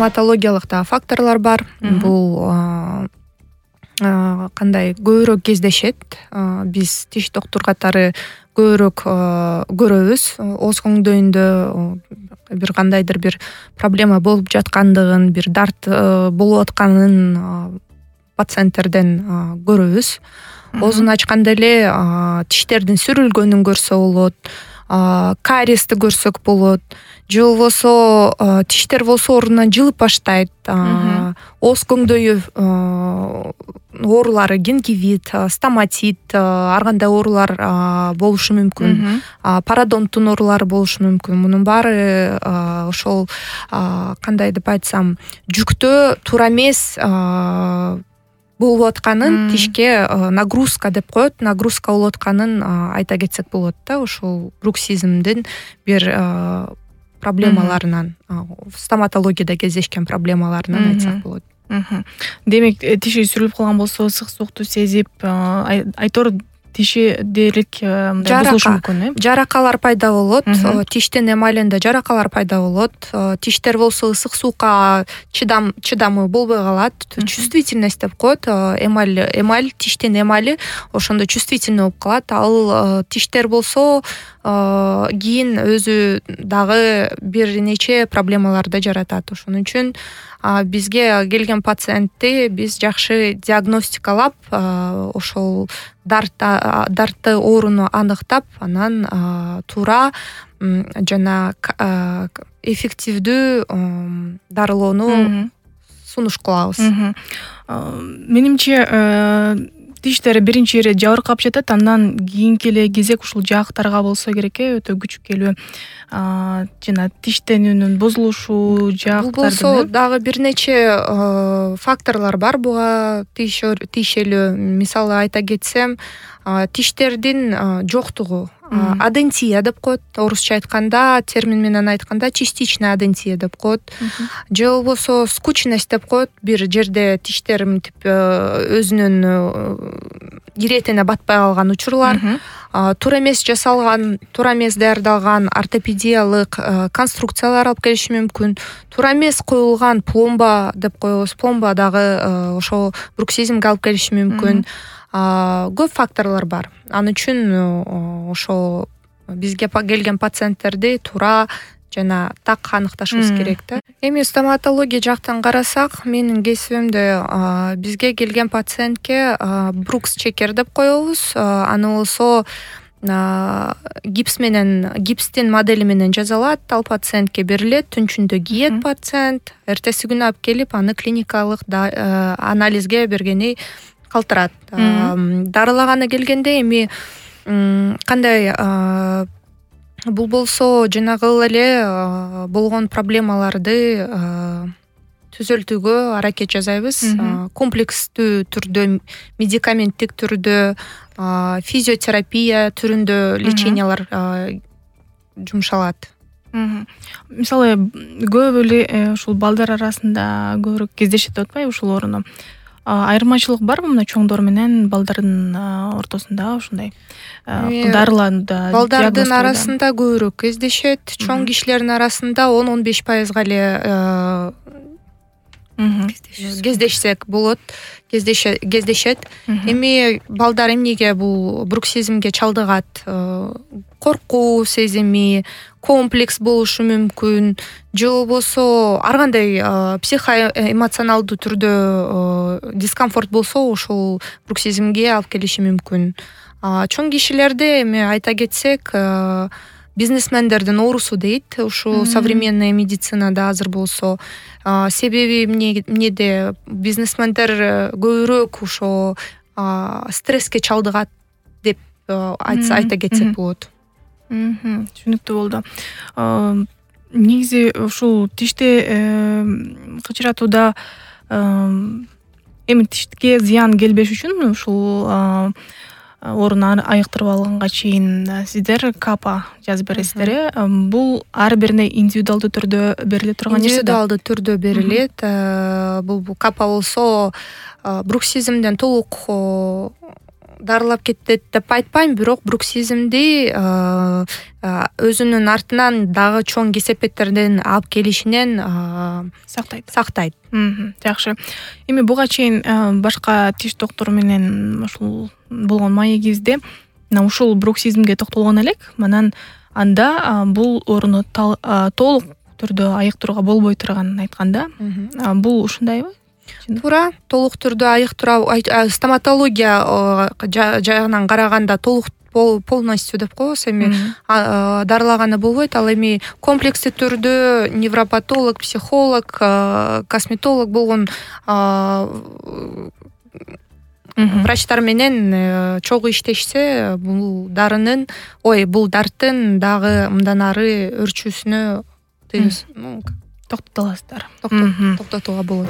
стоматологиялык да факторлор бар. Бул кандай көбүрөөк кездешет. Биз тиш доктур катары көбүрөөк көрөбүз. Ооз коңдоюнда бир кандайдыр бир проблема болуп жаткандыгын, бир дарт болуп атканын пациенттерден көрөбүз. Оозун ачканда эле тиштердин сүрүлгөнүн көрсө болот, кариести көрсөк болот, же болбосо тиштер болсо ордунан жылып баштайт. Ооз коңдою оорулары, гингивит, стоматит, ар кандай оорулар болушу мүмкүн. Пародонттун оорулары болушу мүмкүн. Мунун баары ошол кандай деп айтсам, жүктөө туура эмес болуп атканын, тишке нагрузка деп коет, нагрузка болуп атканын айта кетсек болот да. Ошол бруксизмдин бир проблемаларынан, стоматологияда кездешкен проблемаларынан айтсак болот. Демек, тиши сүрүлүп калган болсо, ысык суукту сезип, айтор тиши дээрлик бузулушу мүмкүн, жаракалар пайда болот, тиштин эмалинде жаракалар пайда болот. Тиштер болсо ысык суукка чыдамы болбой калат. Чувствительность деп коет. Эмаль, тиштин эмали ошондо чувствительный болуп калат. Ал тиштер болсо кийин өзү дагы бир нече проблемаларды жаратат. Ошон үчүн бизге келген пациентти биз жакшы диагностикалап, ошол дартты ооруну аныктап, анан туура жана эффективдүү дарылоону сунуш кылабыз. Менимче тиштер биринчи ири жабыркап жатат, андан кийинки эле кезек ушул жаактарга болсо керек, өтө күчүккөлүү жана тиштенүүнүн бузулушу, жаактардын. Бул болсо дагы бир нече факторлор бар буга тиешелүү. Мисалы айта кетсем, тиштердин жоктугу, адентия деп коет. Орусча айтканда, термин менен айтканда, частичная адентия деп коет. Же болбосо скучность деп коет. Бир жерде тиштер мынтип өзүнүн иретине батпай калган учурлар. Туура эмес жасалган, туура эмес даярдалган ортопедиялык конструкциялар алып келиши мүмкүн. Туура эмес коюлган пломба деп коебуз. Пломба дагы ошо бруксизмге алып келиши мүмкүн. Көп факторлор бар. Ал үчүн ошо бизге келген пациенттерди туура жана так аныкташыбыз керек да. Эми стоматология жактан карасак, менин кесибимде бизге келген пациентке брукс чекер деп коебуз. Аны болсо гипстин модели менен жасалат, ал пациентке берилет, түнчүндө кийет пациент, эртеси күнү алып келип аны клиникалык анализге бергени калтырат. Дарылаганы келгенде эми кандай бул болсо жанагы эле болгон проблемаларды түзөлтүүгө аракет жасайбыз. Комплекстүү түрдө, медикаменттик түрдө, физиотерапия түрүндө лечениялар жумшалат. Мисалы, көп эле ушул балдар арасында көбүрөөк кездешет деп атпайбы ушул ооруну? Айырмачылык барбы мына чоңдор менен балдардын ортосунда ушундай дарылауда? Балдардын арасында көбүрөөк кездешет, чоң кишилердин арасында 10-15%га эле кездешсек болот, кездешет. Эми балдар эмнеге бул бруксизмге чалдыгат? Коркуу сезими, комплекс болушу мүмкүн, же болбосо ар кандай психоэмоционалдуу түрдө дискомфорт болсо ошол бруксизмге алып келиши мүмкүн. Чоң кишилерде эми айта кетсек, бизнесмендердин оорусу дейт, ушу современный медицинада азыр болсо. Себеби эмнеде? Бизнесмендер көбүрөөк ошо стресске чалдыгат деп айта кетсек болот. Түшүнүктүү болду. Негизи ушул тишти кычыратууда эми тишке зыян келбеш үчүн ушул ооруну айыктырып алганга чейин сиздер капа жазып бересиздер. Бул ар бирине индивидуалдуу түрдө бериле турган нерсе да? Индивидуалдуу түрдө берилет. Бул капа болсо бруксизмден толук дарылап кетет деп айтпайм, бирок бруксизмди өзүнүн артынан дагы чоң кесепеттерден алып келишинен сактайт. Жакшы. Эми буга чейин башка тиш доктору менен ушул болгон маегибизде ушул бруксизмге токтолгон элек. Манан анда бул ооруну толук түрдө айыктырууга болбой турганын айтканда, бул ушундайбы? Туура, толук түрдө айыктыруу стоматология жагынан караганда толук полностью деп коебуз. Эми дарылаганы болбойт. Ал эми комплекстүү түрдө невропатолог, психолог, косметолог болгон врачтар менен чогуу иштешсе, бул дарттын дагы мындан ары өрчүүсүнө токтотула аласыздар. Токтотууга болот.